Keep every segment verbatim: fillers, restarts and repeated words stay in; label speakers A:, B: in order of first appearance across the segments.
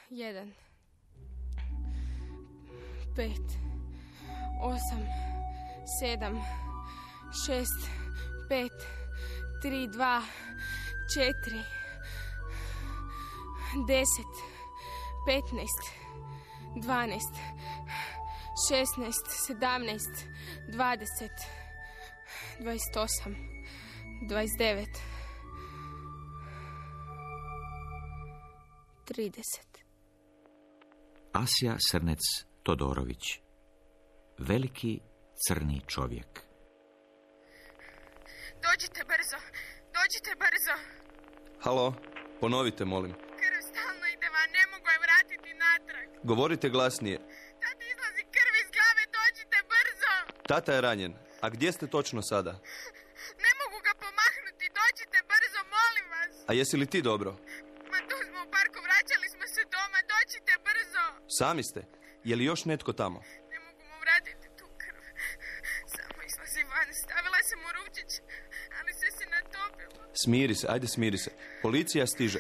A: jedan, pet, osam, sedam, šest, pet, tri, dva, četiri, deset, petnaest, dvanaest, šesnaest, sedamnaest, dvadeset, dvadeset osam, dvadeset devet, trideset.
B: Asja Srnec Todorović. Veliki crni čovjek.
A: Dođite brzo, dođite brzo.
C: Halo, ponovite, molim.
A: Krv stalno ide van, ne mogu je vratiti natrag.
C: Govorite glasnije.
A: Tati izlazi krv iz glave, dođite brzo.
C: Tata je ranjen. A gdje ste točno sada?
A: Ne mogu ga pomahnuti, dođite brzo, molim vas.
C: A jesi li ti dobro?
A: Ma tu smo u parku, vraćali smo se doma, dođite brzo.
C: Sami ste. Je li još netko tamo?
A: Ne mogu mu vratiti tu krv. Samo izlazi van, stavila sam mu ručić, ali sve se natopilo.
C: Smiri se, ajde smiri se. Policija stiže.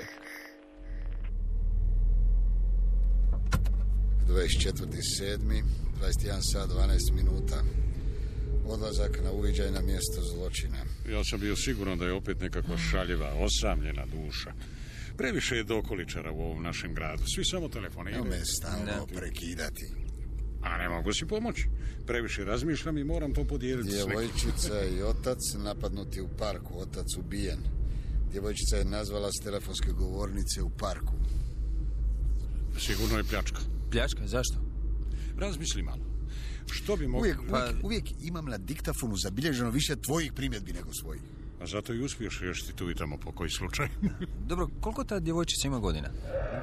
D: dvadeset četvrti sedmi, dvadeset jedan sat dvanaest minuta. Odlazak na uviđaj na mjesto zločina.
E: Ja sam bio siguran da je opet nekakva šaljiva, osamljena duša. Previše je dokoličara u ovom našem gradu. Svi samo telefoniraju.
D: Ne me stalno prekidati.
E: A ne mogu si pomoći. Previše razmišljam i moram to podijeliti s nekim.
D: Djevojčica i otac napadnuti u parku. Otac ubijen. Djevojčica je nazvala s telefonske govornice u parku.
E: Sigurno je pljačka.
F: Pljačka? Zašto?
E: Razmisli malo. Što bi mogli...
D: Uvijek, uvijek, uvijek imam na diktafonu zabilježeno više tvojih primjedbi nego svojih.
E: A zato i uspiješ riješiti tu i tamo po koji slučaj.
F: Dobro, koliko ta djevojčica ima godina?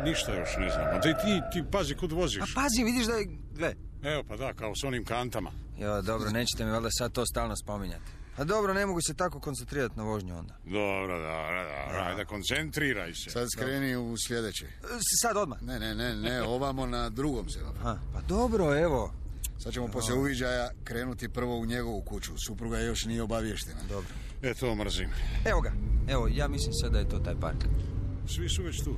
E: Ništa još ne znam. A ti, ti, ti pazi kud voziš.
F: A pazi, vidiš da je... Gle.
E: Evo pa da, kao s onim kantama.
F: Jo, dobro, nećete mi valjda sad to stalno spominjati. A dobro, ne mogu se tako koncentrirati na vožnju onda.
E: Dobro, dobro, dobro. Ajde, koncentriraj se.
D: Sad skreni u sljedeće.
F: Sad odmah?
D: Ne, ne, ne, ne, ovamo na drugom semaforu.
F: Pa dobro, evo.
D: Sad ćemo poslije uviđaja krenuti prvo u njegovu kuću. Supruga još nije obavještena.
F: Dobro.
E: E, to mrzim.
F: Evo ga. Evo, ja mislim sad da je to taj park.
E: Svi su već tu.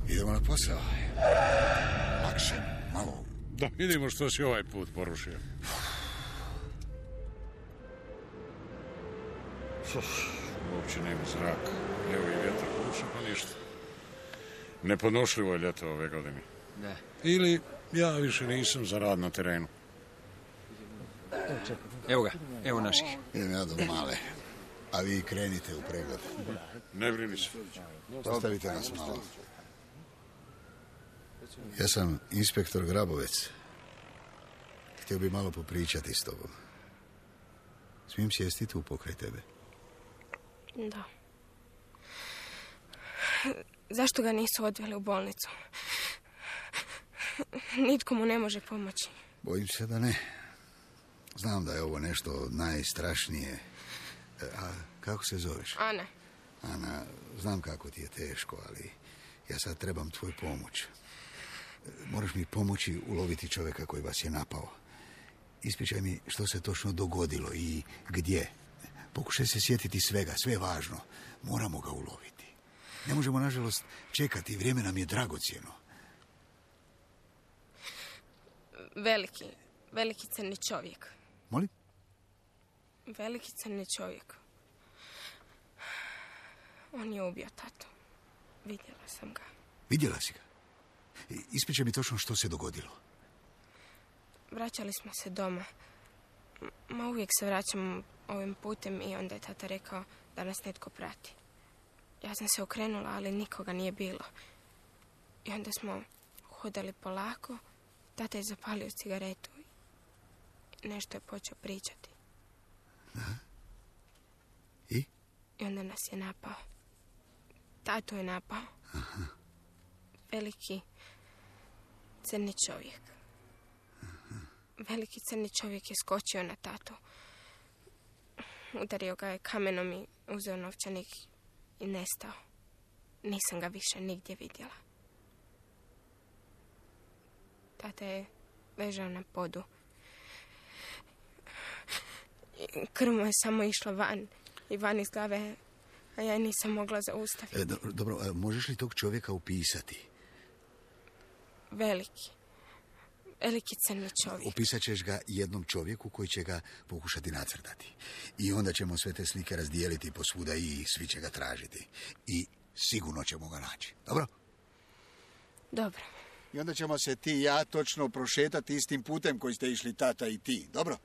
D: Idemo na posao. Lakše, malo.
E: Da, vidimo što si ovaj put porušio. Uopće nema zraka. Evo i vjetar puša, pa ništa. Nepodnošljivo je ljeto ove godine.
F: Da.
E: Ili ja više nisam za rad na terenu.
F: Evo ga, evo naših.
D: Idem ja do male. A vi krenite u pregled.
E: Ne brini se.
D: Ostavite nas malo. Ja sam inspektor Grabovec. Htio bi malo popričati s tobom. Smijem sjesti tu pokraj tebe?
A: Da. Zašto ga nisu odveli u bolnicu? Nitko mu ne može pomoći.
D: Bojim se da ne. Znam da je ovo nešto najstrašnije. A kako se zoveš?
A: Ana.
D: Ana, znam kako ti je teško, ali ja sad trebam tvoju pomoć. Moraš mi pomoći uloviti čovjeka koji vas je napao. Ispričaj mi što se točno dogodilo i gdje. Pokušaj se sjetiti svega, sve je važno. Moramo ga uloviti. Ne možemo, nažalost, čekati. Vrijeme nam je dragocjeno.
A: Veliki, veliki crni čovjek.
D: Molim?
A: Veliki crni čovjek. On je ubio tatu. Vidjela sam ga.
D: Vidjela si ga? Ispričaj mi točno što se dogodilo.
A: Vraćali smo se doma. Ma uvijek se vraćamo ovim putem i onda je tata rekao da nas netko prati. Ja sam se okrenula, ali nikoga nije bilo. I onda smo hodali polako. Tata je zapalio cigaretu i nešto je počeo pričati.
D: Da? I?
A: I onda nas je napao. Tatu je napao.
D: Aha.
A: Veliki crni čovjek.
D: Aha.
A: Veliki crni čovjek je skočio na tatu. Udario ga je kamenom i uzeo novčanik i nestao. Nisam ga više nigdje vidjela. Tata je ležao na podu. Krv mu je samo išla van i van iz glave, a ja nisam mogla zaustaviti.
D: E, do, dobro, a možeš li tog čovjeka upisati?
A: veliki. Veliki crni čovjek.
D: Opisat ćeš ga jednom čovjeku koji će ga pokušati nacrtati. I onda ćemo sve te slike razdijeliti posvuda i svi će ga tražiti. I sigurno ćemo ga naći. Dobro?
A: Dobro.
D: I onda ćemo se ti i ja točno prošetati istim putem koji ste išli tata i ti. Dobro?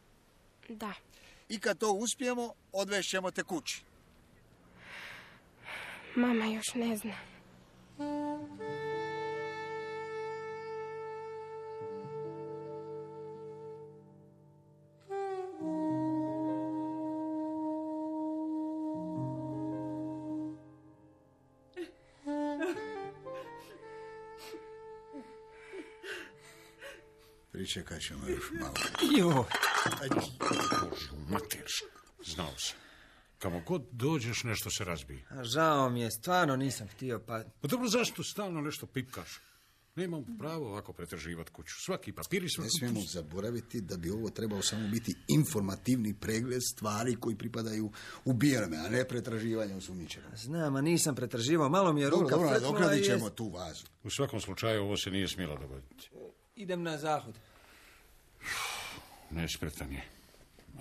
A: Da.
D: I kad to uspijemo, odvešćemo te kući.
A: Mama još ne zna.
D: Pričekat ćemo još malo.
F: Jo.
E: Bože, mater, znao sam. Kamo god dođeš, nešto se razbije.
F: A žao mi je, stvarno nisam htio, pa...
E: Pa dobro, zašto stalno nešto pipkaš? Nemam pravo ovako pretraživati kuću. Svaki papiri su...
D: Ne smijemo zaboraviti da bi ovo trebao samo biti informativni pregled stvari koji pripadaju ubijenome, a ne pretraživanje osumnjičenog.
F: Znam, a nisam pretraživao, malo mi je ruka
D: Dobro, dobro,
F: frknula
D: dokladit
F: i
D: ćemo
F: jest-
D: tu vazu.
E: U svakom slučaju ovo se nije smjelo dogoditi.
F: Idem na zahod.
E: Nespretan je.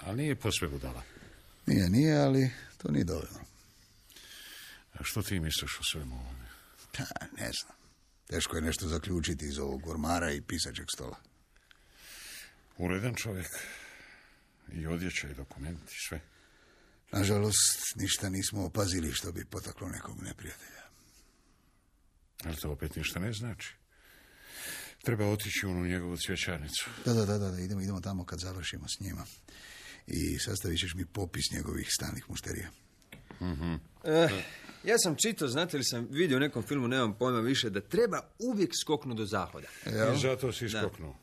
E: Ali nije posve budala.
D: Nije, nije, ali to nije dovoljno.
E: A što ti misliš o svemu ovome?
D: Pa, ne znam. Teško je nešto zaključiti iz ovog ormara i pisačeg stola.
E: Uredan čovjek. I odjeća i dokumenti, sve.
D: Nažalost, ništa nismo opazili što bi potaklo nekog neprijatelja.
E: Ali to opet ništa ne znači. Treba otići u onu njegovu cvjećarnicu.
D: Da, da, da, da, idemo, idemo tamo kad završimo s njima. I sastavit ćeš mi popis njegovih stalnih mušterija.
E: Mhm.
F: Eh, ja sam čitao, znate li sam vidio u nekom filmu, nemam pojma više, da treba uvijek skoknuti do zahoda.
D: Jel?
E: I zato si iskoknuo.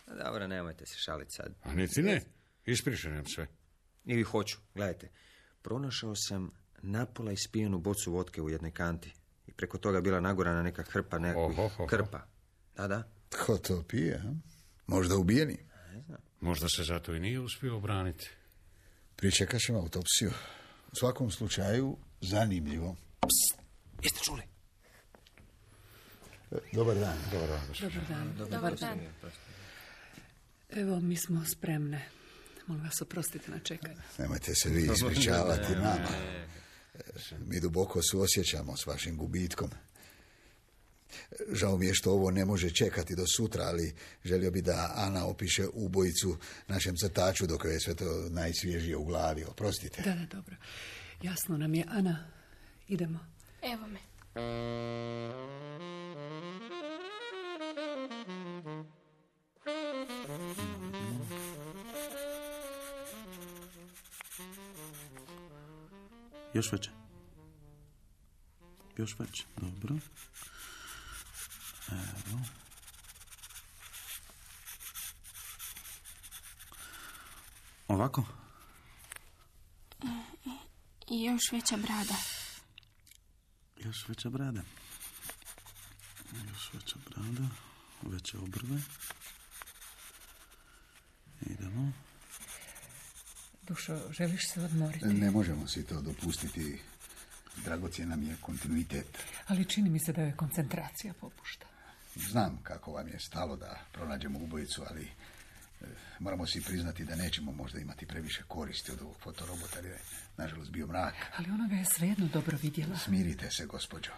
F: Dobro, nemojte se šaliti sad.
E: A niti ne. Ispričaj nam sve.
F: Ili hoću, gledajte. Pronašao sam napola ispijenu bocu vodke u jednoj kanti. I preko toga bila nagorana neka hrpa nekakvih
E: Oho, oho.
F: krpa. Da, da.
D: Tko to pije, a? Možda ubijeni?
E: Možda se zato i nije uspio obraniti.
D: Pričekat ćemo autopsiju. U svakom slučaju, zanimljivo.
F: Jeste čuli?
D: Dobar dan.
E: Dobar dan, gospođo.
G: Dobar dan.
A: Dobar dan.
G: Evo, mi smo spremne. Molim vas, oprostite na čekanju.
D: Nemojte se vi ispričavati nama. Mi duboko suosjećamo s vašim gubitkom. Žao mi je što ovo ne može čekati do sutra, ali želio bi da Ana opiše ubojicu našem crtaču dok je sve to najsvježije u glavi. Oprostite.
G: Da, da, dobro. Jasno nam je. Ana, idemo.
A: Evo me.
H: Još veće. Još veće, dobro. Evo. Ovako?
A: I još veća brada.
H: Još veća brada. Još veća brada. Veće obrve. Idemo.
G: Dušo, želiš se odmoriti?
D: Ne možemo si to dopustiti. Dragocjen nam je kontinuitet.
G: Ali čini mi se da je koncentracija popušta.
D: Znam kako vam je stalo da pronađemo ubojicu, ali e, moramo si priznati da nećemo možda imati previše koristi od ovog fotorobota, jer je nažalost bio mrak.
G: Ali ona ga je svejedno dobro vidjela.
D: Smirite se, gospođo.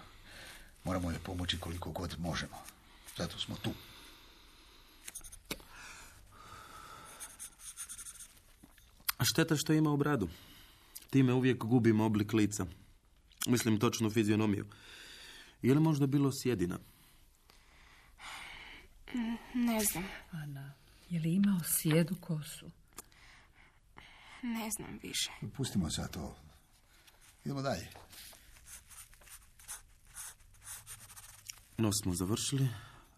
D: Moramo joj pomoći koliko god možemo. Zato smo tu.
H: A šteta što ima u bradu. Time uvijek gubimo oblik lica. Mislim točnu fizionomiju. Je li možda bilo sjedina?
A: Ne znam.
G: Ana, je li imao sjedu kosu?
A: Ne znam više.
D: Pustimo sad to. Idemo dalje.
H: Nos smo završili.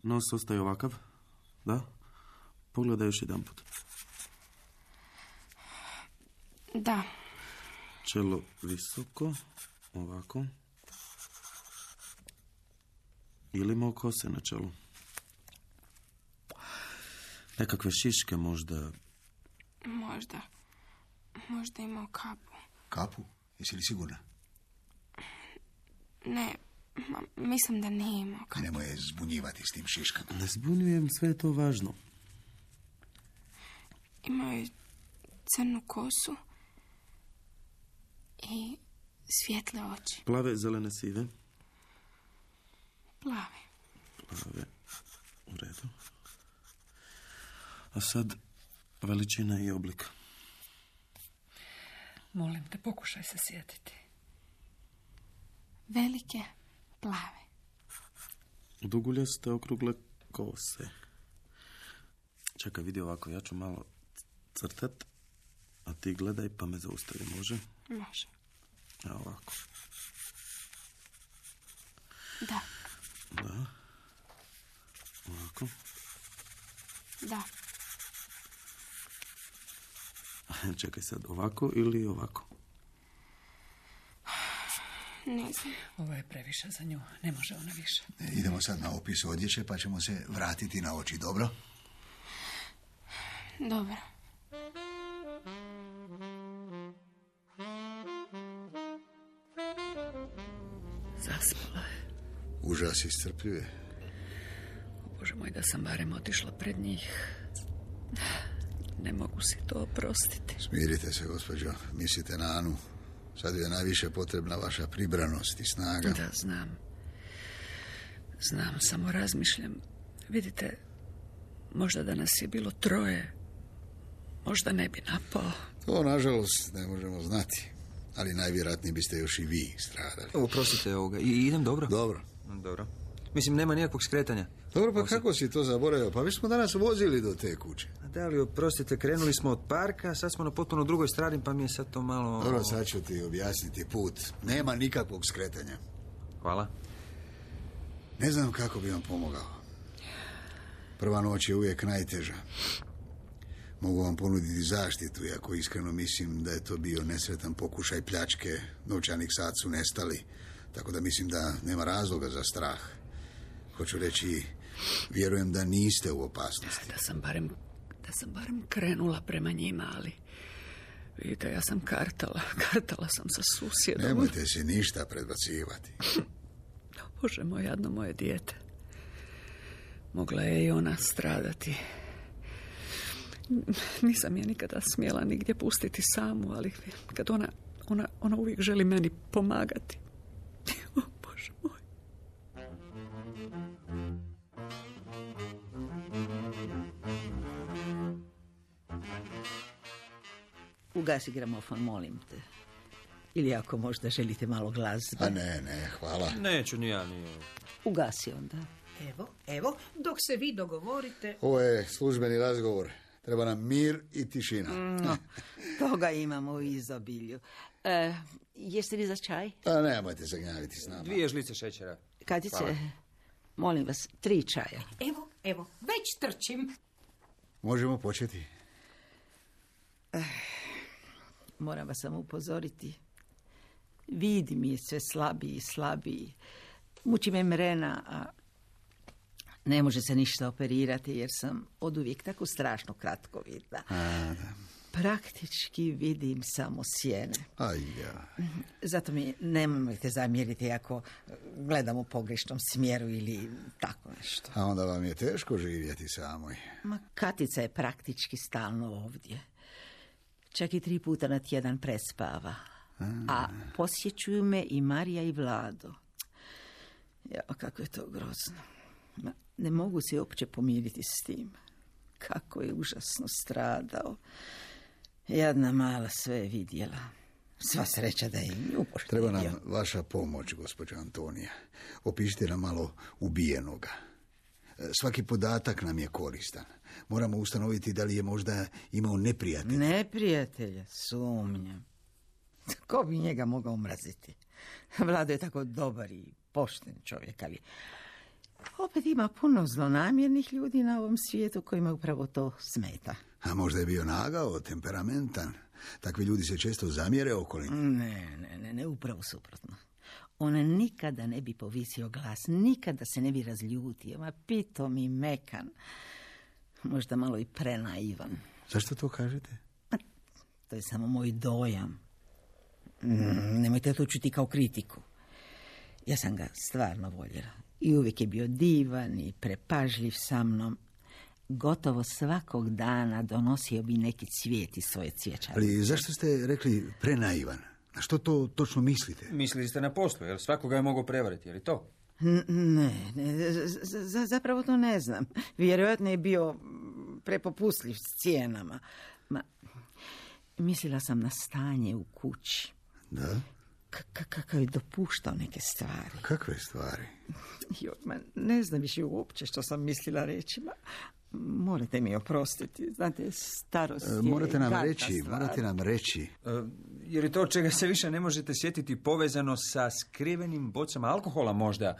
H: Nos ostaje ovakav. Da? Pogledaj još jedan put.
A: Da.
H: Čelo visoko. Ovako. Ili imao kose na čelu? Nekakve šiške možda.
A: Možda. Možda imao kapu.
D: Kapu? Jesi li sigurna?
A: Ne, Ma, mislim da nije imao.
D: A nemoj je zbunjivati s tim šiškama.
H: Ne zbunjujem, sve je to važno.
A: Imao je crnu kosu i svijetle oči.
H: Plave, zelene, sive?
A: Plave.
H: Plave, u redu. A sad veličina i oblik.
G: Molim te, pokušaj se sjetiti.
A: Velike, plave.
H: Duguljaste, okrugle kose. Čekaj, vidi ovako, ja ću malo crtat, a ti gledaj pa me zaustavi, može?
A: Može.
H: A ovako.
A: Da.
H: Da. Ovako.
A: Da.
H: Čekaj sad, ovako ili ovako?
A: Ne znam.
G: Ovo je previše za nju. Ne može ona više.
D: E, idemo sad na opis odjeće pa ćemo se vratiti na oči, dobro?
A: Dobro.
G: Zaspala je.
D: Užas iscrpljuje.
G: O Bože moj, da sam barem otišla pred njih. Ne mogu si to oprostiti.
D: Smirite se, gospođo. Mislite na Anu. Sad je najviše potrebna vaša pribranost i snaga.
G: Da, znam. Znam, samo razmišljam. Vidite, možda da nas je bilo troje, možda ne bi napao.
D: To, nažalost, ne možemo znati. Ali najvjerojatnije biste još i vi stradali.
F: Oprostite ovoga. I idem dobro?
D: Dobro.
F: Dobro. Mislim, nema nikakvog skretanja.
D: Dobro, pa kako si to zaboravio? Pa mi smo danas vozili do te kuće.
F: Da li, oprostite, krenuli smo od parka, sad smo na potpuno drugoj strani, pa mi je sad to malo...
D: Dobro, sad ću ti objasniti put. Nema nikakvog skretanja.
F: Hvala.
D: Ne znam kako bi vam pomogao. Prva noć je uvijek najteža. Mogu vam ponuditi zaštitu, iako iskreno mislim da je to bio nesretan pokušaj pljačke. Novčanih sad su nestali, tako da mislim da nema razloga za strah. Hoću reći, vjerujem da niste u opasnosti.
G: Da sam barem, da sam barem krenula prema njima, ali... Vidite, ja sam kartala. Kartala sam sa susjedom.
D: Nemojte se ništa predbacivati.
G: Bože moj, jadno moje dijete. Mogla je i ona stradati. Nisam je nikada smjela nigdje pustiti samu, ali kad ona, ona, ona uvijek želi meni pomagati. O, Bože moj.
I: Ugasi gramofon, molim te. Ili ako možda želite malo glazbe.
D: A ne, ne, hvala.
F: Neću ni ja, ni...
I: Ugasi onda.
J: Evo, evo, dok se vi dogovorite...
D: Ovo je službeni razgovor. Treba nam mir i tišina.
I: No, toga imamo u izobilju. E, jeste li za čaj?
D: Pa nemojte se gnjaviti s nama.
F: Dvije žlice šećera.
I: Katice,
F: Hvala.
I: molim vas, tri čaja.
J: Evo, evo, već trčim.
D: Možemo početi.
I: Eh, moram vas samo upozoriti. Vidi mi je sve slabiji i slabiji. Muči me mrena, a ne može se ništa operirati jer sam oduvijek tako strašno kratkovidna.
D: A, da.
I: Praktički vidim samo sjene.
D: Aj, ja.
I: Zato mi nemojte zamjeriti ako gledam u pogrešnom smjeru ili tako nešto.
D: A onda vam je teško živjeti samoj.
I: Ma Katica je praktički stalno ovdje. Čak i tri puta na tjedan prespava. A, A posjećuju me i Marija i Vlado. Ja, kako je to grozno. Ma, ne mogu se uopće pomiriti s tim. Kako je užasno stradao. Jadna mala sve je vidjela. Sva sreća da je nju poštivio.
D: Treba nam vaša pomoć, gospođo Antonija. Opišite nam malo ubijenoga. Svaki podatak nam je koristan. Moramo ustanoviti da li je možda imao neprijatelja.
I: Neprijatelja, sumnjam. Ko bi njega mogao mraziti? Vlado je tako dobar i pošten čovjek, ali opet ima puno zlonamjernih ljudi na ovom svijetu kojima upravo to smeta.
D: A možda je bio nagao, temperamentan. Takvi ljudi se često zamjere okolini.
I: Ne, ne, ne, ne, upravo suprotno. On nikada ne bi povisio glas, nikada se ne bi razljutio, ma pitom i mekan. Možda malo i prenaivan.
D: Zašto to kažete?
I: To je samo moj dojam. Nemojte to čuti kao kritiku. Ja sam ga stvarno voljela. I uvijek je bio divan i prepažljiv sa mnom. Gotovo svakog dana donosio bi neki cvijet iz svoje cvjećarke.
D: Ali zašto ste rekli prenaivan? Na što to točno mislite?
F: Mislili ste na poslu, jer svakoga je mogao prevariti, je li to?
I: N- ne, ne z- z- zapravo to ne znam. Vjerojatno je bio prepopustljiv s cijenama. Ma, mislila sam na stanje u kući.
D: Da?
I: K- kakav je dopuštao neke stvari.
D: Kakve stvari?
I: Jo, ma, ne znam više uopće što sam mislila reći. Ma, morate mi oprostiti. Znate, starost je...
D: E, morate nam
I: gadna
D: reći,
I: stvar.
D: morate nam reći.
F: E, je li to čega se više ne možete sjetiti povezano sa skrivenim bocama alkohola možda?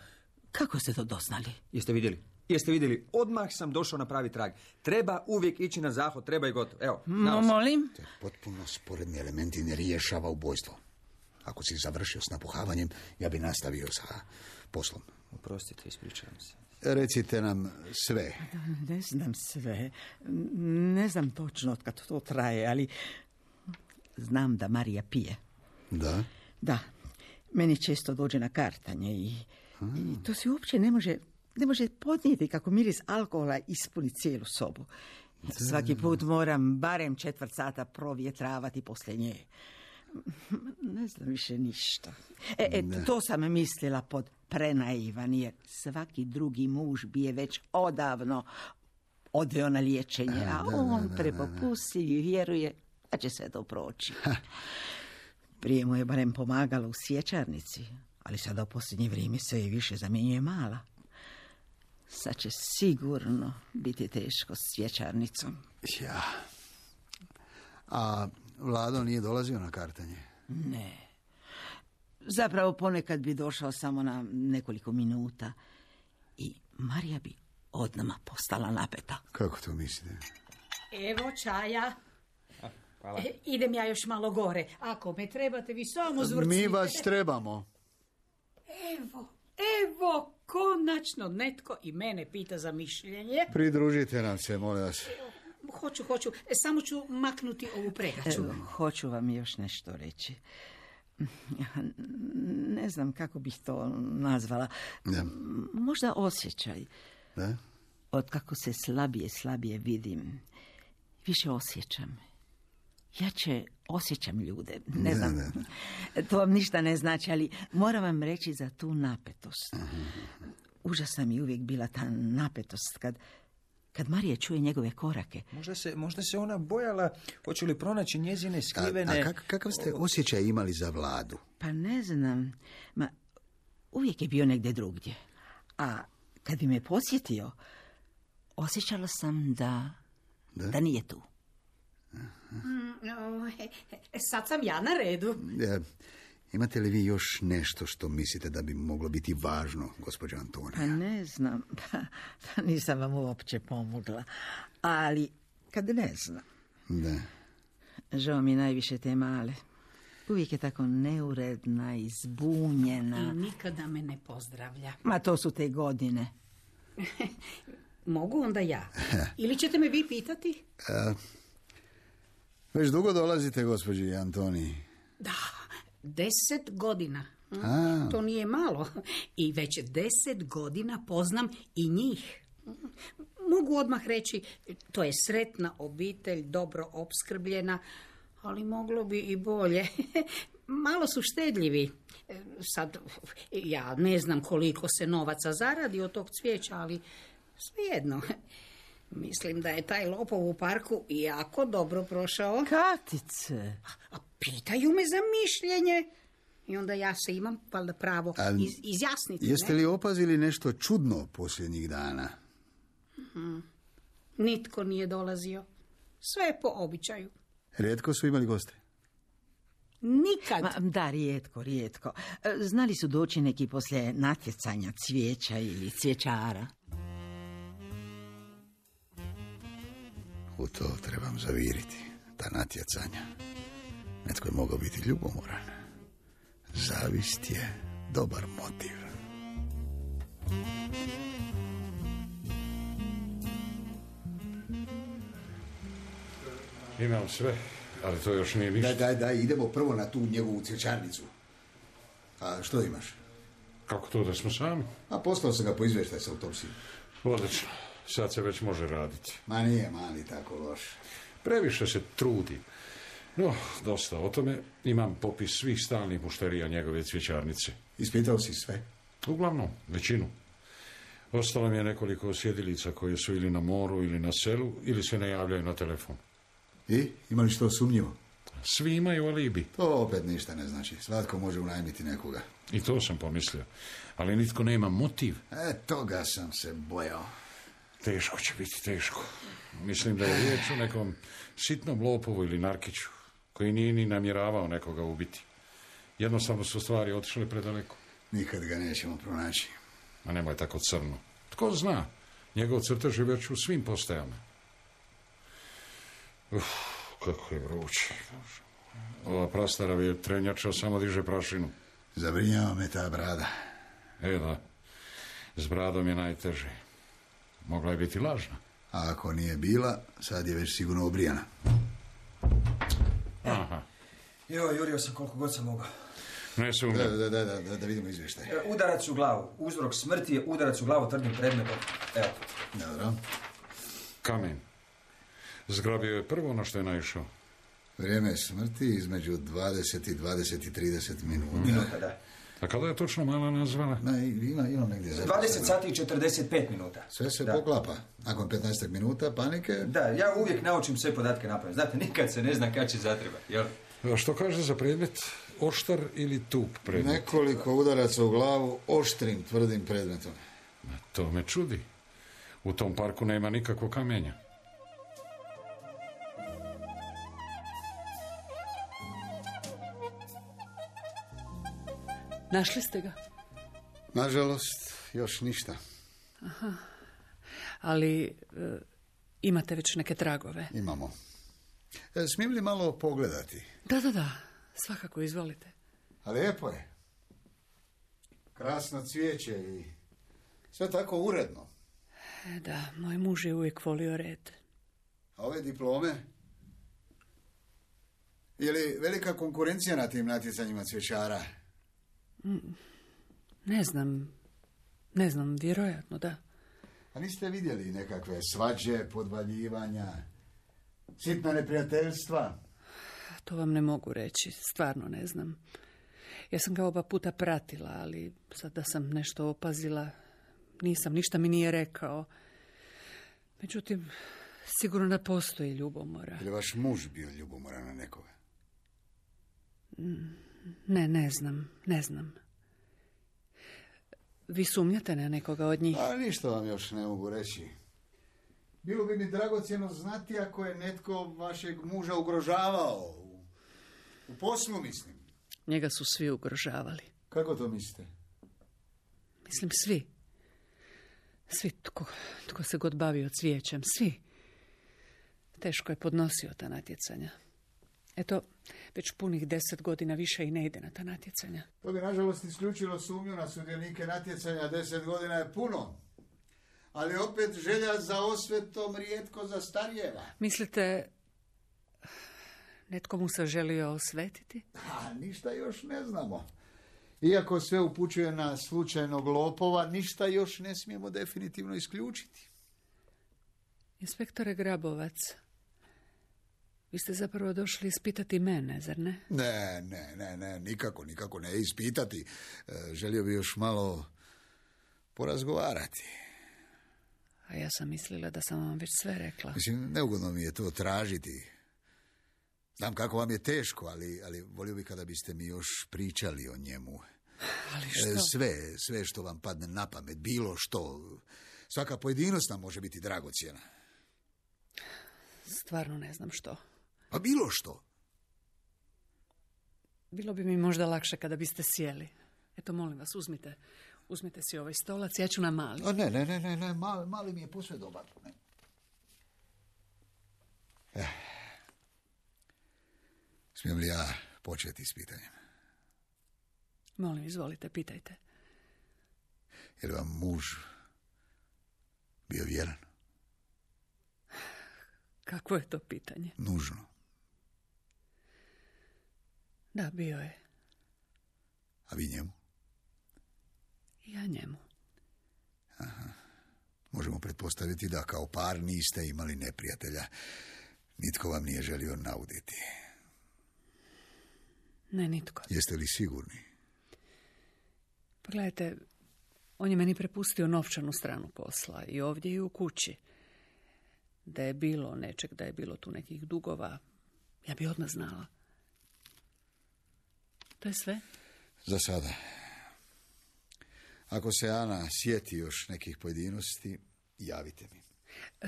I: Kako ste to doznali?
F: Jeste vidjeli? Jeste vidjeli? Odmah sam došao na pravi trag. Treba uvijek ići na zahod, treba i gotovo. Evo,
I: No, molim?
D: To je potpuno sporedni elementi ne rješava ubojstvo. Ako si završio s napuhavanjem, ja bi nastavio sa poslom.
F: Oprostite, ispričavam se.
D: Recite nam sve.
I: Ne znam sve. Ne znam točno od kad to traje, ali znam da Marija pije.
D: Da?
I: Da. Meni često dođe na kartanje i, i to se uopće ne može, ne može podnijeti kako miris alkohola ispuni cijelu sobu. Svaki put moram barem četvrt sata provjetravati poslije nje. Ne znam više ništa. E, e, to sam mislila pod prenaivan, jer svaki drugi muž bi je već odavno odveo na liječenje, a on prepopustljiv i vjeruje da će sve to proći. Prije mu je barem pomagalo u cvjećarnici, ali sada u posljednje vrijeme se i više zamjenjuje mala. Sad će sigurno biti teško s cvjećarnicom.
D: Ja. A Vlado nije dolazio na kartanje?
I: Ne. Zapravo ponekad bi došao samo na nekoliko minuta i Marija bi odnama postala napeta.
D: Kako to mislite?
J: Evo čaja.
F: Hvala.
J: E, idem ja još malo gore. Ako me trebate, vi samo zvrcite.
D: Mi vas trebamo.
J: Evo, evo, konačno netko i mene pita za mišljenje.
D: Pridružite nam se, molim vas.
J: Hoću, hoću. E, samo ću maknuti ovu pregaču.
I: E, hoću vam još nešto reći. Ne znam kako bih to nazvala.
D: Da.
I: Možda osjećaj.
D: Da?
I: Od kako se slabije, slabije vidim, više osjećam. Jače osjećam ljude. Ne
D: Da,
I: znam,
D: da.
I: to vam ništa ne znači, ali moram vam reći za tu napetost. Užasna mi uvijek bila ta napetost kad, kad Marija čuje njegove korake.
F: Možda se, možda se ona bojala, hoće li pronaći njezine skrivene...
D: A, a kak, kakav ste osjećaj imali za Vladu?
I: Pa ne znam, ma uvijek je bio negdje drugdje. A kad bi me posjetio, osjećala sam da,
D: Da?
I: da nije tu.
J: Mm, o, e, e, sad sam ja na redu.
D: E, imate li vi još nešto što mislite da bi moglo biti važno, gospođo Antonija?
I: Pa ne znam, pa, pa nisam vam uopće pomogla. Ali kad ne znam,
D: Da.
I: žao mi je najviše te male. Uvijek je tako neuredna i zbunjena.
J: I nikada me ne pozdravlja.
I: Ma to su te godine.
J: Mogu onda ja? Ili ćete me vi pitati?
D: E, već dugo dolazite, gospođi Antoniji?
J: Da, deset godina. Hm?
D: A.
J: To nije malo. I već deset godina poznam i njih. Mogu odmah reći, to je sretna obitelj, dobro opskrbljena, ali moglo bi i bolje. Malo su štedljivi. Sad, ja ne znam koliko se novaca zaradi od tog cvijeća, ali svejedno. Mislim da je taj lopov u parku jako dobro prošao.
I: Katice!
J: A pitaju me za mišljenje. I onda ja se imam valjda pravo
D: A
J: iz, izjasniti.
D: Jeste
J: ne?
D: li opazili nešto čudno posljednjih dana?
J: Hmm. Nitko nije dolazio. Sve je po običaju.
D: Rijetko su imali goste?
J: Nikad.
I: Ma, da, rijetko, rijetko. E, Znali su doći neki poslije natjecanja cvijeća ili cvjećara.
D: U to trebam zaviriti, ta natjecanja. Netko je mogao biti ljubomoran. Zavist je dobar motiv.
E: Imam sve, ali to još nije ništa.
D: Daj, daj, daj, idemo prvo na tu njegovu cvjećarnicu. A što imaš?
E: Kako to da smo sami?
D: A poslao sam ga po izvještaj sa autopsijom.
E: Odlično. Sad se već može raditi.
D: Ma nije mali tako loš.
E: Previše se trudi. No, dosta o tome. Imam popis svih stalnih mušterija njegove cvjećarnice.
D: Ispitao si sve?
E: Uglavnom, većinu. Ostalo mi je nekoliko osjedilica koje su ili na moru ili na selu ili se ne javljaju na telefon.
D: I? Ima li što sumnjivo?
E: Svi imaju alibi.
D: To opet ništa ne znači. Svatko može unajmiti nekoga.
E: I to sam pomislio. Ali nitko nema motiv.
D: E, toga sam se bojao.
E: Teško će biti, teško. Mislim da je riječ o nekom sitnom lopovu ili narkiću, koji nije ni namjeravao nekoga ubiti. Jednostavno su stvari otišle predaleko.
D: Nikad ga nećemo pronaći.
E: A nemoj tako crno. Tko zna, njegov crtež je već u svim postajama. Uf, kako je vruće. Ova prastara vjetrenjača samo diže prašinu.
D: Zabrinjava me ta brada.
E: E da, s bradom je najteže. Mogla je biti lažna.
D: A ako nije bila, sad je već sigurno obrijana.
E: Aha.
F: Jo, jurio sam koliko god sam mogao.
E: Ne sumnjam.
D: Da, da, da, da, da vidimo izvještaj.
F: Udarac u glavu. Uzrok smrti je udarac u glavu tvrdim predmetom. Evo.
D: Dobro.
E: Kamen. Zgrabio je prvo na što je naišao.
D: Vrijeme smrti između dvadeset i dvadeset i trideset minuta.
F: Minuta, da.
E: A kada je točno mala nazvala?
D: Ne, ima, imam negdje zapisano.
F: dvadeset sati i četrdeset pet minuta.
D: Sve se
F: da.
D: poklapa. Nakon petnaest minuta panike...
F: Da, ja uvijek naučim sve podatke napamet. Znate, nikad se ne zna kad će zatreba, jel?
E: A što kaže za predmet? Oštar ili tup predmet?
D: Nekoliko udaraca u glavu oštrim, tvrdim predmetom.
E: To me čudi. U tom parku nema nikakvog kamenja.
G: Našli ste ga?
D: Nažalost, još ništa.
G: Aha. Ali e, imate već neke tragove?
D: Imamo. E, smijem li malo pogledati?
G: Da, da, da. Svakako, izvolite.
D: A lijepo je. Krasno cvijeće i sve tako uredno.
G: E, da, moj muž je uvijek volio red.
D: A ove diplome? Je li velika konkurencija na tim natjecanjima cvjećara?
G: Ne znam. Ne znam, vjerojatno, da.
D: A niste vidjeli nekakve svađe, podvaljivanja, sitna neprijateljstva?
G: To vam ne mogu reći, stvarno ne znam. Ja sam ga oba puta pratila, ali sad da sam nešto opazila, nisam, ništa mi nije rekao. Međutim, sigurno da postoji ljubomora.
D: Je li vaš muž bio ljubomoran na nekoga?
G: Ne, ne znam, ne znam. Vi sumnjate na nekoga od njih?
D: A ništa vam još ne mogu reći. Bilo bi mi dragocjeno znati ako je netko vašeg muža ugrožavao. U, u poslu, mislim.
G: Njega su svi ugrožavali.
D: Kako to mislite?
G: Mislim, svi. Svi, tko, tko se god bavio cvijećem, svi. Teško je podnosio ta natjecanja. Eto, već punih deset godina više i ne ide na ta natjecanja.
D: To bi, nažalost, isključilo sumnju na sudionike natjecanja. Deset godina je puno. Ali opet želja za osvetom rijetko zastarijeva.
G: Mislite, netko mu se želio osvetiti?
D: A, ništa još ne znamo. Iako sve upućuje na slučajnog lopova, ništa još ne smijemo definitivno isključiti.
G: Inspektore Grabovac, vi ste zapravo došli ispitati mene, zar ne?
D: Ne, ne, ne, ne, nikako, nikako ne ispitati. E, želio bi još malo porazgovarati.
G: A ja sam mislila da sam vam već sve rekla.
D: Mislim, neugodno mi je to tražiti. Znam kako vam je teško, ali, ali volio bi kada biste mi još pričali o njemu.
G: Ali što?
D: E, sve, sve što vam padne na pamet, bilo što. Svaka pojedinost nam može biti dragocjena.
G: Stvarno ne znam što.
D: Pa bilo što.
G: Bilo bi mi možda lakše kada biste sjeli. Eto, molim vas, uzmite, uzmite si ovaj stolac, ja ću na mali.
D: A ne, ne, ne, ne, ne, mali, mali mi je posve dobar. Ne. Eh. Smijem li ja početi s pitanjem?
G: Molim, izvolite, pitajte.
D: Je li vam muž bio vjeran?
G: Kakvo je to pitanje?
D: Nužno.
G: Da, bio je.
D: A vi njemu?
G: Ja njemu.
D: Aha. Možemo pretpostaviti da kao par niste imali neprijatelja. Nitko vam nije želio nauditi.
G: Ne, nitko.
D: Jeste li sigurni?
G: Pa gledajte, on je meni prepustio novčanu stranu posla i ovdje i u kući. Da je bilo nečeg, da je bilo tu nekih dugova, ja bi odmah znala. To je sve?
D: Za sada. Ako se Ana sjeti još nekih pojedinosti, javite mi.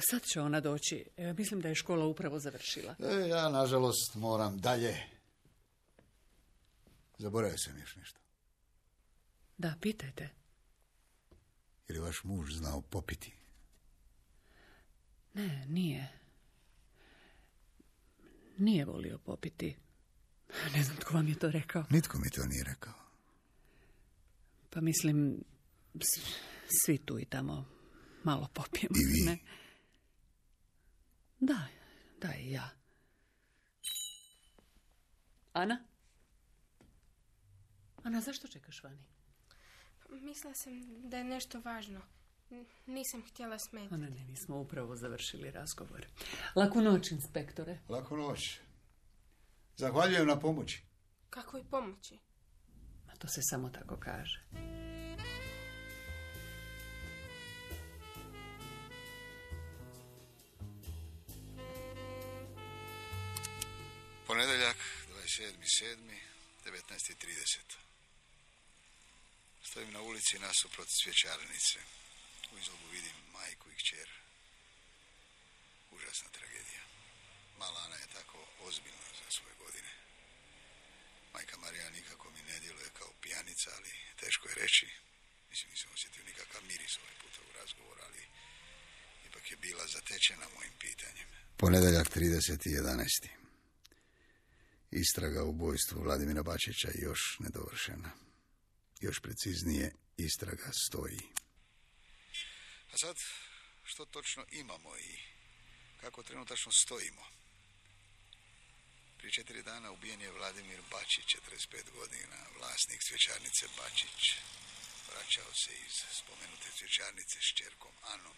G: Sad će ona doći. E, mislim da je škola upravo završila.
D: E, ja, nažalost, moram dalje. Zaboravio sam još nešto.
G: Da, pitajte.
D: Je li vaš muž znao popiti?
G: Ne, nije. Nije volio popiti. Ne znam tko vam je to rekao.
D: Nitko mi to nije rekao.
G: Pa mislim, svi tu i tamo malo popijemo.
D: I vi?
G: Ne? Da, da i ja. Ana? Ana, zašto čekaš vani?
A: Mislila sam da je nešto važno. N- nisam htjela smetati.
G: Ona ne, mi smo upravo završili razgovor. Laku noć, inspektore.
D: Laku noć. Zahvaljujem na pomoći.
A: Kakvoj pomoći?
G: A to se samo tako kaže.
D: Ponedjeljak, dvadeset sedmi sedmi, devetnaest i trideset. Stojim na ulici nasuprot cvjećarnice. U izlogu vidim majku i kćer. Užasna tragedija. Mala Ana je tako ozbiljna za svoje godine. Majka Marija nikako mi ne djeluje kao pijanica, ali teško je reći. Mislim, nisam osjetio nikakav miris ovaj puta u razgovor, ali ipak je bila zatečena mojim pitanjem. Ponedjeljak trideset jedanaest. Istraga o ubojstvu Vladimira Bačića je još nedovršena. Još preciznije, istraga stoji. A sad, što točno imamo i kako trenutačno stojimo? Prije četiri dana ubijen je Vladimir Bačić, četrdeset pet godina, vlasnik cvjećarnice Bačić. Vraćao se iz spomenute cvjećarnice s kćerkom Anom.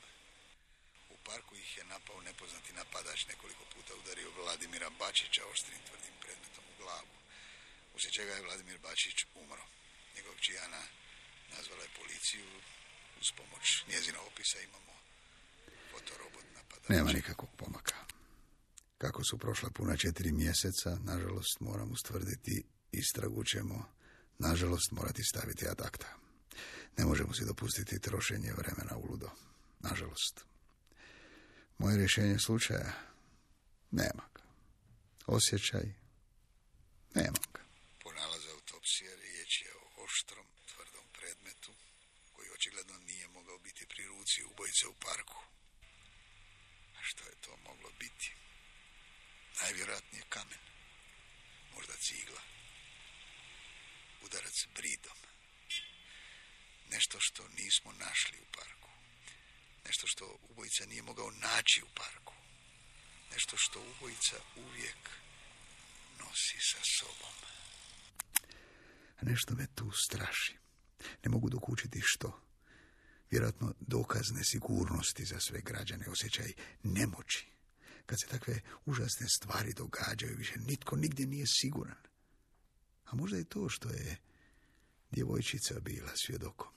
D: U parku ih je napao nepoznati napadač, nekoliko puta udario Vladimira Bačića oštrim tvrdim predmetom u glavu. Uslijed čega je Vladimir Bačić umro. Njegov Ana nazvala je policiju. Uz pomoć njezina opisa imamo fotorobot napadača. Nema nikakvog pomaka. Kako su prošla puna četiri mjeseca, nažalost moram ustvrditi, istragu ćemo, nažalost, morati staviti ad acta. Ne možemo si dopustiti trošenje vremena uludo. Nažalost. Moje rješenje slučaja? Nema ga. Osjećaj? Nema ga. Po nalazu autopsije riječ je o oštrom, tvrdom predmetu koji očigledno nije mogao biti pri ruci ubojice u parku. A što je to moglo biti? Najvjerojatnije kamen. Možda cigla. Udarac bridom. Nešto što nismo našli u parku. Nešto što ubojica nije mogao naći u parku. Nešto što ubojica uvijek nosi sa sobom. A nešto me tu straši. Ne mogu dokučiti što. Vjerojatno dokaz nesigurnosti za sve građane, osjećaj nemoći. Kad se takve užasne stvari događaju, više nitko nigdje nije siguran. A možda je to što je djevojčica bila svjedokom.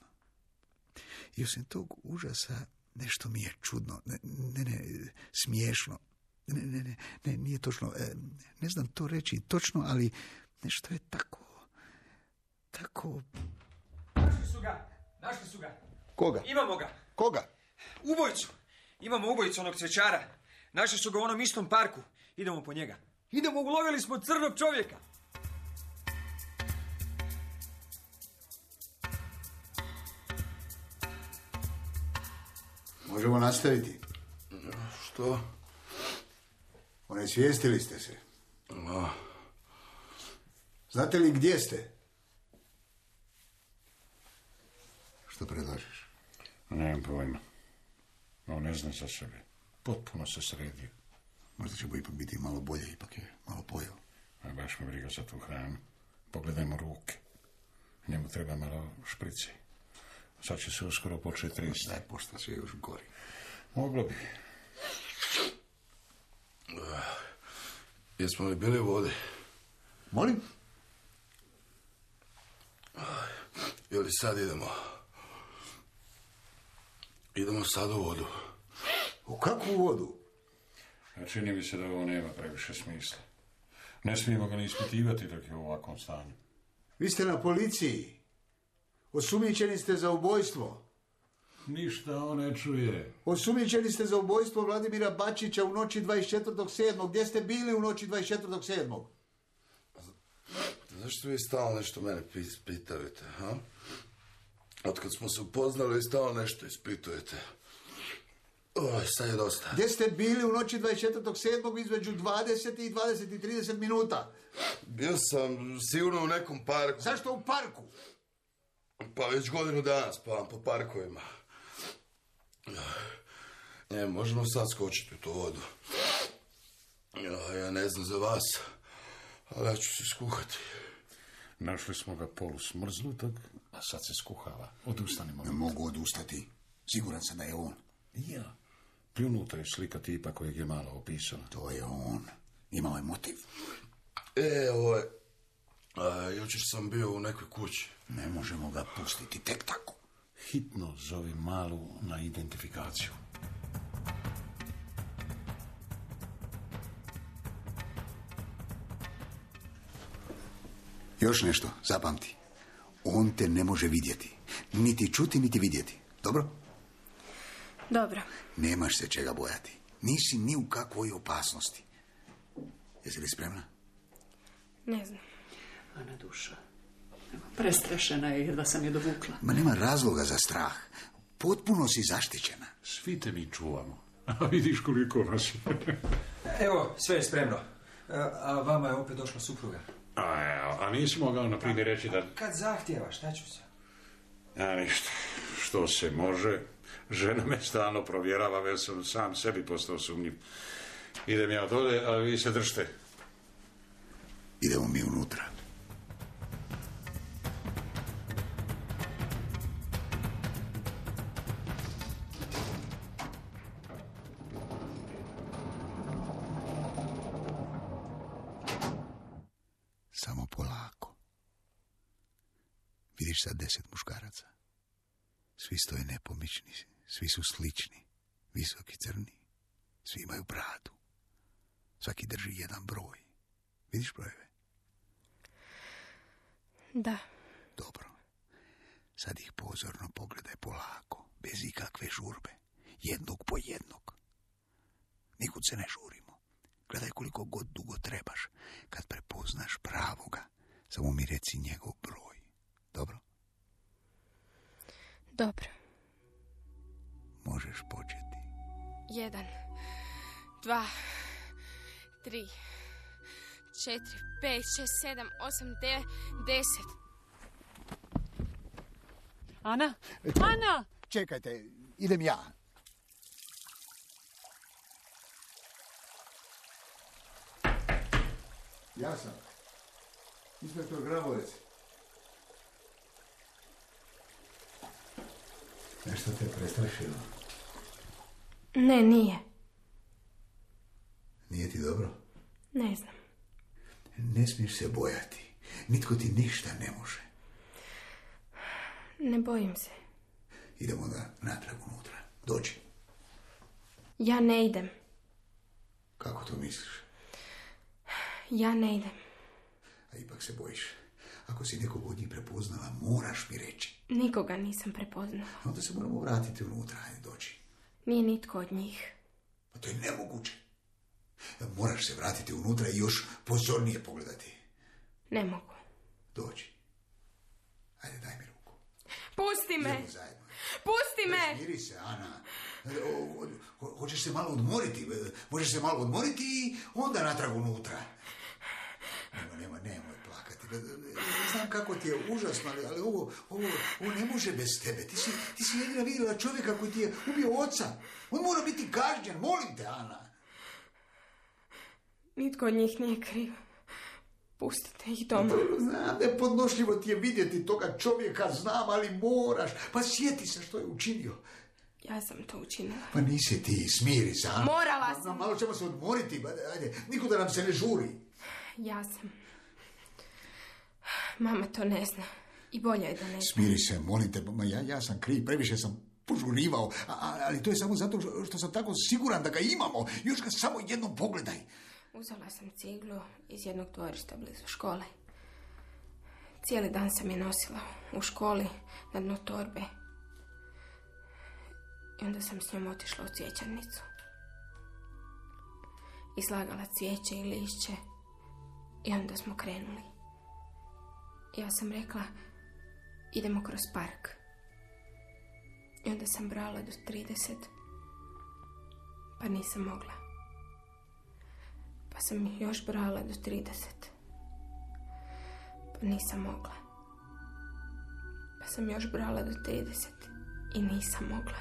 D: I osim tog užasa nešto mi je čudno, ne, ne, ne smiješno. Ne, ne, ne, ne, nije točno, ne znam to reći točno, ali nešto je tako, tako...
K: Našli su ga, našli su ga.
D: Koga?
K: Imamo ga.
D: Koga?
K: Ubojicu. Imamo ubojicu onog cvjećara. Našli su ga u onom istom parku. Idemo po njega. Idemo, ulovili smo crnog čovjeka.
D: Možemo nastaviti.
E: Što?
D: Onesvijestili ste se.
E: No.
D: Znate li gdje ste? Što predlažeš?
E: Nemam pojma. On ne zna za sebe. Potpuno se sredio.
D: Možda će mu ipak biti malo bolje, ipak je malo pojeo.
E: A baš me briga za tu hranu. Pogledajmo ruke. Njemu treba malo šprice. Sad će se uskoro početi trist.
D: Ne, pošto se još gori.
E: Moglo bi.
L: Jesmo li bili u vodi?
D: Molim?
L: Je li sad idemo? Idemo sad u vodu.
D: U kakvu vodu?
E: A čini mi se da ovo nema previše smisla. Ne smijemo ga ni ispitivati dok je u ovakvom stanju.
D: Vi ste na policiji. Osumnjičeni ste za ubojstvo.
E: Ništa on ne čuje.
D: Osumnjičeni ste za ubojstvo Vladimira Bačića u noći dvadeset četvrtog sedmog Gdje ste bili u noći dvadeset četvrtog sedmog
L: Zašto vi stalno nešto mene ispitujete, ha? Otkad smo se upoznali, vi stalno nešto ispitujete. Oj, sad je dosta.
D: Gdje ste bili u noći dvadeset četvrtog sedmog između dvadeset i dvadeset i trideset minuta?
L: Bio sam sigurno u nekom parku.
D: Zašto u parku?
L: Pa već godinu dana spavam po parkovima. Ne, možemo sad skočiti u tu vodu. Ja, ja ne znam za vas, ali ja ću se skuhati.
E: Našli smo ga polu smrznutog, a sad se skuhava. Odustanimo.
D: Ne mogu odustati. Siguran sam da je on.
E: Ja. Pljunutra je slika tipa kojeg je malo opisala.
D: To je on. Imao je motiv.
L: E, ovo je... A, jučer sam bio u nekoj kući.
D: Ne možemo ga pustiti tek tako.
E: Hitno zove Malu na identifikaciju.
D: Još nešto, zapamti. On te ne može vidjeti. Niti čuti, niti vidjeti. Dobro?
A: Dobro.
D: Nemaš se čega bojati. Nisi ni u kakvoj opasnosti. Jesi li spremna?
A: Ne znam.
G: Ana duša. Prestrašena je jer da sam je dovukla.
D: Ma nema razloga za strah. Potpuno si zaštićena.
E: Svi te mi čuvamo. A vidiš koliko nas je.
K: Evo, sve je spremno. A vama je opet došla supruga.
E: A, a nisi mogao na primjer reći da...
K: Kad zahtjeva, šta ću se?
E: A ništa. Što se može? Žena me stalno provjerava, već sam sam sebi postao sumnjiv. Idem ja od ovdje, a vi se držite.
D: Idemo mi unutra. Samo polako. Vidiš sad deset muškaraca. Svi stoje nepomični, svi su slični, visoki, crni. Svi imaju bradu. Svaki drži jedan broj. Vidiš brojeve?
A: Da.
D: Dobro. Sad ih pozorno pogledaj polako, bez ikakve žurbe. Jednog po jednog. Nikud se ne žurimo. Gledaj koliko god dugo trebaš. Kad prepoznaš pravoga, samo mi reci njegov broj. Dobro?
A: Dobro.
D: Možeš početi.
A: Jedan, dva, tri, četiri, pet, šest, sedam, osam, devet, deset.
G: Ana?
D: Čekaj,
G: Ana!
D: Čekajte, idem ja. Ja sam. Inspektor Grabovec. Nešto te prestrašilo?
A: Ne, nije.
D: Nije ti dobro?
A: Ne znam.
D: Ne smiješ se bojati. Nitko ti ništa ne može.
A: Ne bojim se.
D: Idemo da natrag unutra. Dođi.
A: Ja ne idem.
D: Kako to misliš?
A: Ja ne idem.
D: A ipak se bojiš. Ako si nekog od njih prepoznala, moraš mi reći.
A: Nikoga nisam prepoznala.
D: Onda se moramo vratiti unutra. Ajde, dođi.
A: Nije nitko od njih.
D: Pa to je nemoguće. Moraš se vratiti unutra i još pozornije pogledati.
A: Ne mogu.
D: Dođi. Ajde, daj mi ruku.
A: Pusti me!
D: Idemo zajedno.
A: Pusti me!
D: Smiri se, Ana. O, ho, hoćeš se malo odmoriti. Možeš se malo odmoriti i onda natrag unutra. Nema, nema, nemoj plakati. Znam kako ti je užasno, ali, ali ovo, ovo, ovo ne može bez tebe. Ti si, ti si jedina vidjela čovjeka koji ti je ubio oca. On mora biti kažnjen. Molim te, Ana.
A: Nitko od njih nije kriv. Pustite ih doma.
D: Znam, nepodnošljivo ti je vidjeti toga čovjeka, znam, ali moraš. Pa sjeti se što je učinio.
A: Ja sam to učinila.
D: Pa nisi ti, smiri se, a?
A: Morala sam.
D: Malo ćemo se odmoriti, ajde, nikuda nam se ne žuri.
A: Ja sam. Mama to ne zna. I bolje je da ne zna.
D: Smiri se, molim te, ja, ja sam kriv, previše sam požurivao, a, ali to je samo zato što, što sam tako siguran da ga imamo. Još ga samo jednom pogledaj.
A: Uzela sam ciglu iz jednog dvorišta blizu škole. Cijeli dan sam je nosila u školi na dno torbe. I onda sam s njom otišla u cvjećarnicu. Izlagala cvijeće i lišće. I onda smo krenuli. Ja sam rekla, idemo kroz park. I onda sam brala do trideset. Pa nisam mogla. Pa sam još brala do trideset. Pa nisam mogla. Pa sam još brala do trideset. I nisam mogla.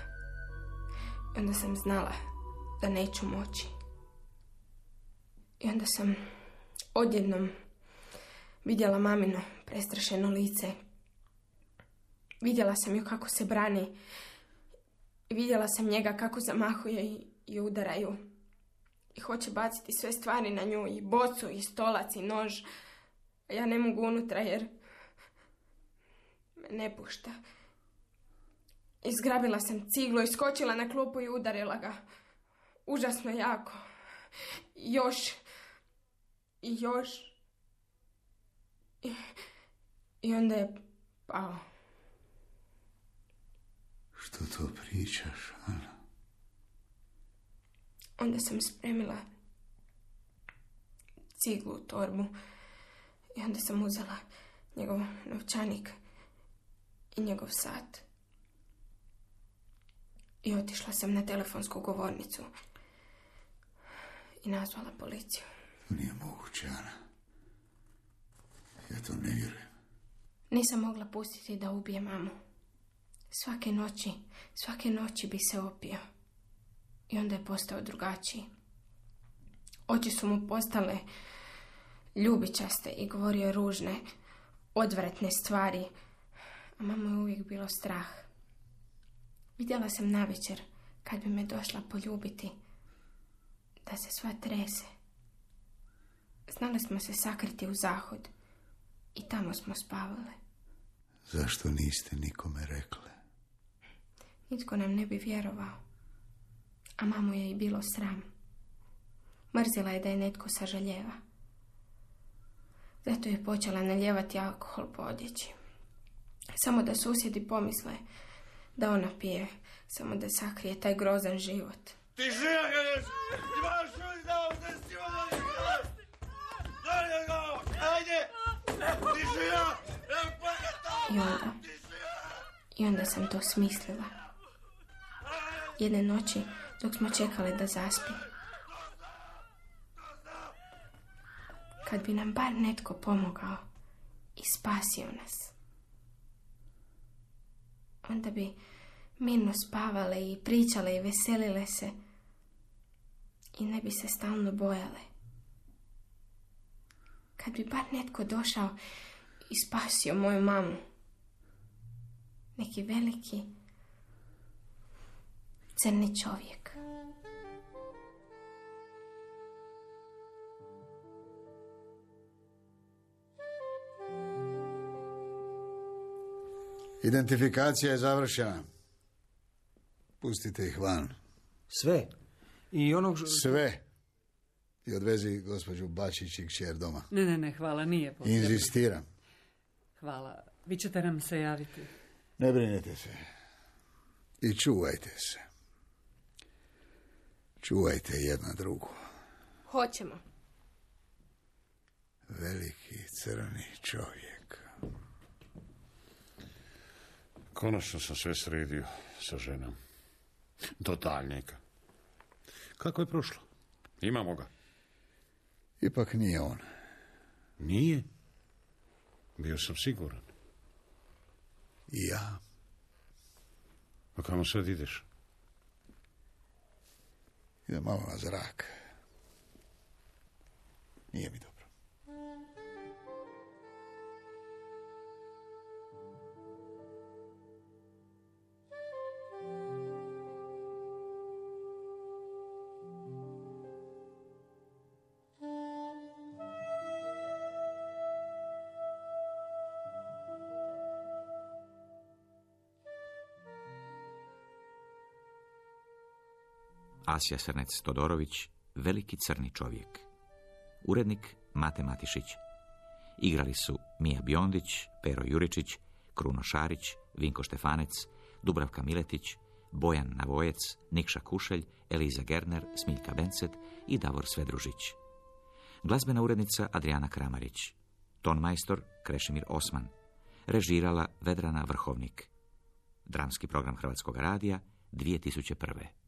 A: I onda sam znala da neću moći. I onda sam odjednom vidjela mamino prestrašeno lice. Vidjela sam ju kako se brani. I vidjela sam njega kako zamahuje i, i udaraju. I hoće baciti sve stvari na nju. I bocu, i stolac, i nož. A ja ne mogu unutra jer me ne pušta. Izgrabila sam ciglu, iskočila na klupu i udarila ga. Užasno jako. I još. I još. I, i onda je pao.
D: Što to pričaš, Ana?
A: Onda sam spremila ciglu u torbu. I onda sam uzela njegov novčanik i njegov sat. I otišla sam na telefonsku govornicu. I nazvala policiju.
D: To nije moguće, Ana. Ja to ne vjerujem.
A: Nisam mogla pustiti da ubije mamu. Svake noći, svake noći bi se opio. I onda je postao drugačiji. Oči su mu postale ljubičaste i govorio ružne, odvratne stvari. A mamu je uvijek bilo strah. Vidjela sam navečer, kad bi me došla poljubiti, da se sva trese. Znali smo se sakriti u zahod i tamo smo spavale.
D: Zašto niste nikome rekle?
A: Nitko nam ne bi vjerovao. A mamu je i bilo sram. Mrzila je da je netko sažaljeva. Zato je počela naljevati alkohol po odjeći. Samo da susjedi pomisle da ona pije, samo da sakrije taj grozan život.
M: Ti žija kažeš! Imaš uzdao da si ono Dalje go! Ajde! Ti žija!
A: I onda, I onda sam to smislila. Jedne noći, dok smo čekali da zaspi. Kad bi nam bar netko pomogao i spasio nas. Onda bi mirno spavale i pričale i veselile se. I ne bi se stalno bojale. Kad bi bar netko došao i spasio moju mamu. Neki veliki crni čovjek.
D: Identifikacija je završena. Pustite ih van.
F: Sve? I onog...
D: Sve. I odvezi gospođu Bačić i kćer doma.
G: Ne, ne, ne, hvala, nije potrebno.
D: Inzistiram.
G: Hvala. Vi ćete nam se javiti.
D: Ne brinite se. I čuvajte se. Čuvajte jedna drugu.
A: Hoćemo.
D: Veliki crni čovjek.
E: Konačno sam sve sredio sa ženom. Do daljnjega. Kako je prošlo? Imamo ga.
D: Ipak nije on.
E: Nije? Bio sam siguran.
D: I ja.
E: A kamo sad ideš?
D: Idem malo na zrak. Nije mi dobro.
B: Asija Srnec-Todorović, veliki crni čovjek. Urednik Mate Matišić. Igrali su Mija Biondić, Pero Juričić, Kruno Šarić, Vinko Štefanec, Dubravka Miletić, Bojan Navojec, Nikša Kušelj, Eliza Gerner, Smiljka Bencet i Davor Svedružić. Glazbena urednica Adriana Kramarić. Tonmajstor Krešimir Osman. Režirala Vedrana Vrhovnik. Dramski program Hrvatskog radija dvije tisuće prve.